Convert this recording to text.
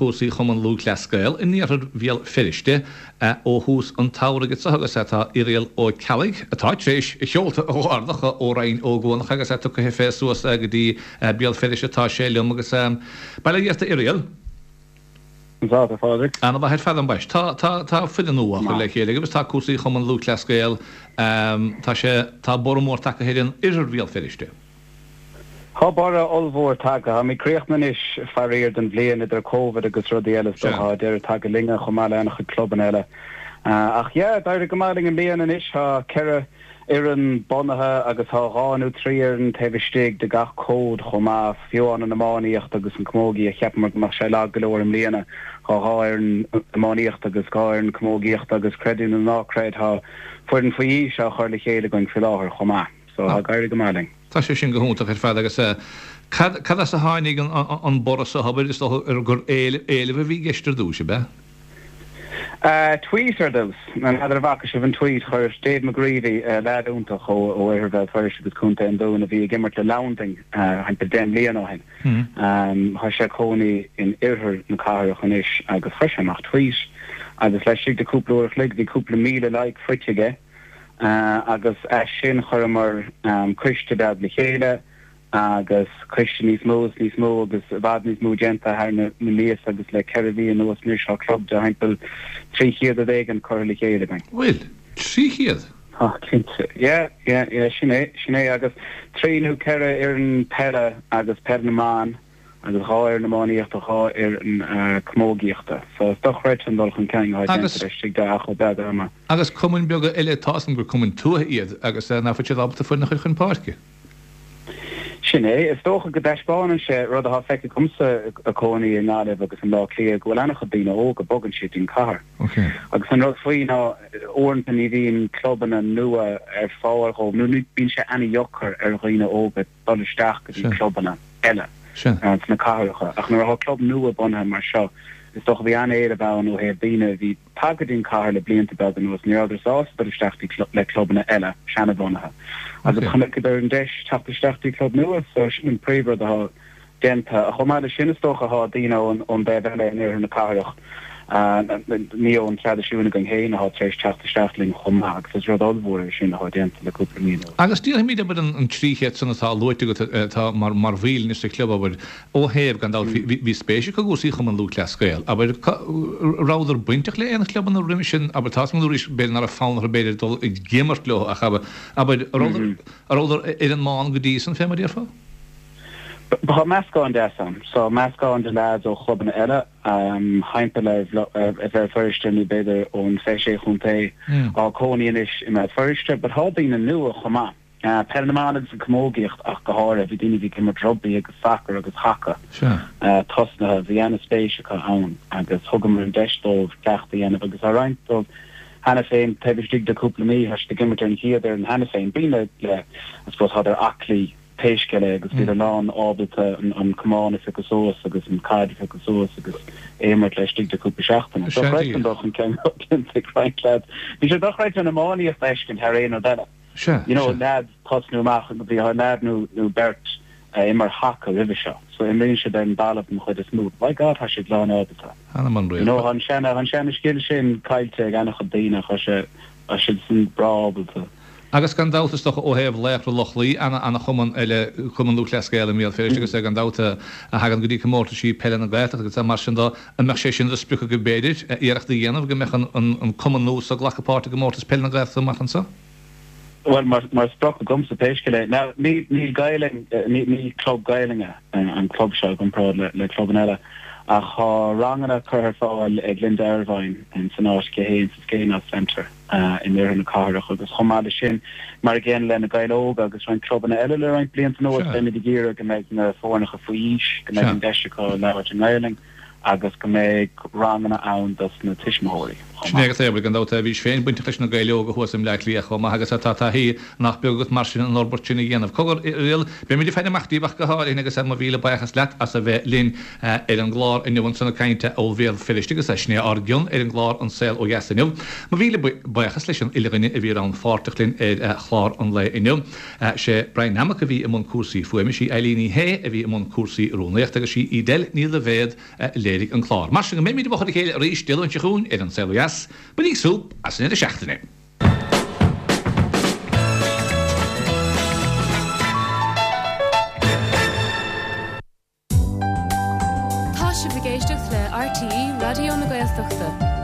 Cúrsaí Chumann Lúthchleas Gael in iarthar Bhéal Feirste ó thús an tsamhraidh anso agus tá Irial Ó Ceallaigh, atá tar éis a sheolta a dh'ardach ó Rinn Ó gCuanach agus é tugtha fé suas go dtí Béal Feirste tá sé liom agus bail ó Dhia ort a Irial. Conas tá, a Phádraig? Ana mhaith ar fad ambaist. Tá, tá, tá foireann nua á chur le chéile agaibh agus tá cúrsaí Chumann Lúthchleas Gael, tá sé, tá borradh mór tagtha ar an oirthear Bhéal Feirste. Tá borradh ollmhór tagtha. Táimid críochnaithe anois, faraor, don bhliain, idir Covid agus rudaí eile is dócha. Tá deireadh tagtha linne chomh maith le an-chuid clubanna eile. Ach yeah, d'éirigh go maith linn i mbliana anois. Tá 4 fhoireann bunaithe agus tá 2 nó 3 fhoireann taobh istigh de gach cód chomh maith. Fiú amháin an iománaíocht agus an camógaíocht, cheapamar go mbeadh sé lag go leor i mbliana. Tá 2 fhoireann iománaíochta agus 2 fhoireann camógaíochta agus creid é nó ná creid, tá foireann faoi aois á chur le chéile againn faoi láthair chomh maith. So tá ag éirí go maith linn. Tá sé sin go hiontach ar fad agus cad cad as a tháinig an borradh so abair is dócha gur éileamh a bhí i gceist ar dtús, ab ea? Tweet ar dtús. N'fheadar an bhfaca sibh an tweet chuir Dave McGreevy, leaid iontach ó oirthear Bhéal Feirste agus Contae an Dúin a bhí ag imirt le Leamhantaing thimpeall 10 mbliana ó shin. Tá sé ag cónaí in oirthear na cathrach anois agus chuir sé amach tweet agus laistigh de cúpla uair a chloig bhí cúpla 1,000 like faighte aige. Agus as sin chuireamar coiste beag le chéile agus coiste níos mó is níos mó agus i bhfad níos mó déanta thar na míosa agus le 4 mhí anuas anois tá club de thimpeall 300 rud éigin curtha le chéile againn. Bhfuil? 300? Tá, cinnte. Yeah, yeah, yeah, sin é, sin é agus trí nó ceithre fhoireann peile agus peil na mban. agus 2 fhoireann iománaíochta, 2 fhoireann camógaíochta. So is dochreidte an dul chun cinn atá déanta laistigh de achar beag ama. Agus cumainn beaga eile, tá 'fhios a'm gur cumainn tuaithe iad agus nach bhfuil siad ábalta foireann a chur chun páirce. Sin é. Is dócha go dtaispeánann sé rud atá feicthe agamsa ag cónaí i nGaillimh agus i mBleá Cliath go bhfuil an-chuid daoine óga, bogann siad dtí'n cathair. Agus an rud faoi ná uaireanta ní bhíonn clubanna nua ar fáil dhóibh nó bíonn sé an-dheacair ar dhaoine óga dul isteach go dtí clubanna eile sna cathracha. Ach nuair atá club nua bunaithe mar seo, is dócha bhí an-éileamh ann ó thaobh daoine a bhí tagtha go dtí an cathair le blianta beaga anuas, ní rabhadar sásta dul isteach dtí le clubanna eile seanabhunaithe. Agus chonaiceadar an deis teacht isteach dtí club nua, so sin an príomhrud atá déanta. Chomh maith leis sin, is dócha, tá daoine ón dtaobh eile in oirthear na cathrach, ní ón traidisiún againn féin, atá tar éis teacht isteach linn chomh maith agus is rud ollmhór é sin atá déanta le cúpla mí anuas. Agus déarfaimid, abair, an 300 san atá luaite agat atá mar bhaill anois sa chlub, abair, ó thaobh, gan dabht, bhí spéis acu i gcúrsaí Chumann Lúthchleas Gael, abair, rabhadar bainteach le aon chlubanna roimhe sin, abair, tá 'fhios agam arís, b'fhéidir nach raibh fonn orthu, b'fhéidir, dul ag imirt leo ach, abair, rabhadar ar an mbán go dtí san, fé mar a déarfá? Tá meascán deas ann. So meascán de leaids ó chlubanna eile thimpeall ar Bhéal Feirste nó b'fhéidir ón 26 chontae atá cónaí anois i mBéal Feirste. But tá daoine nua chomh maith. Peil na mban agus an camógaíocht ach go háirithe. Bhí daoine a bhí ag imirt rugbaí agus sacar agus haca tosnaithe. Bhí ana-spéis acu ann agus thugamar an deis dóibh cleachtadh a dhéanamh agus tá roinnt dóibh cheana féin taobh istigh de cúpla mí tá siad ag imirt ar an chéad fhoireann cheana féin. Daoine le, I suppose, tádar aclaí. pé scéal é agus bhíodar lán ábalta an camán a phiocadh suas agus an caid a phiocadh suas agus é a imirt laistigh de cúpla seachtain. Dochreidte an dul chun cinn atá déanta ag roinnt leaids. Bhí sé dochreidte an iománaíocht a fheiscint thar aon rud eile. You know, leaids tosnú amach agus bhí leaid nó nó beirt a imir haca roimhe seo. So imríonn siad ar an dtalamh den chuid is mó. By God tá siad lán ábalta. You know, tá an seana an seana scil sin caillte ag an-chuid daoine ach tá sé tá siad san breá ábalta. Agus gan dabht, is dócha, ó thaobh Laochra Loch Lao, ana-chumann eile, Cumann Lúthchleas Gael i mBéal Feirste agus gan dabht, a thagann go dtí comórtaisí peile na Gaeltachta agus mar sin de, an mbeadh sé sin de sprioc agaibh b'fhéidir, iarracht a dhéanamh go mbeadh an cumann nua so ag glacadh páirt i gcomórtas peile na Gaeltachta amach anso? Bhuel, mar sprioc agamsa pé scéal é. Now, níl Gaelainn, ní club Gaelainne an club seo i gcomparáid le clubanna eile, ach tá ranganna curtha ar fáil ag Linda Ervine san áit aici féin sa Skainos Centre. in oirthear na cathrach agus chomh maith leis sin, mar an gcéanna le Na Gaeil Óga agus roinnt clubanna eile le roinnt blianta anuas, beimid ag iarraidh go mbeidh na foirneacha faoi aois, go mbeidh an deis acu labhairt i nGaelainn agus go mbeidh ranganna ann dos na tuismitheoirí chomh maith. chomh maith. Sin é agat é, gan dabht. Bhís féin bainteach leis na Gaeil Óga thuas i mBleá Cliath chomh maith agus tá taithí nach beag agat mar sin an fhorbairt sin a dhéanamh. Cogar, a Irial, beimid ag faire amach díobh ach go háirithe agus mo mhíle buíochas leat as a bheith linn ar an gclár inniu ansan ag caint ó Bhéal Feirste agus sin é ár gcion ar an gclár An Saol Ó Dheas inniu. Mo mhíle buíochas leis an uile dhuine a bhí rannpháirteach linn ar chlár an lae inniu. Sé Brian Nammock a bhí i mbun cúrsaí fuaime, sí Eileen Ní Shé a bhí i mbun cúrsaí rúnaíochta agus sí Edel Ní Loibhéad a léirigh an clár. Mar sin go mbeimid i bhfochair a chéile arís Dé Luain seo chugainn ar An Saol Ó Dheas, bainigí súp as an deireadh seachtaine! Tá sibh ag éisteacht le RTÉ Raidió na Gaeltachta.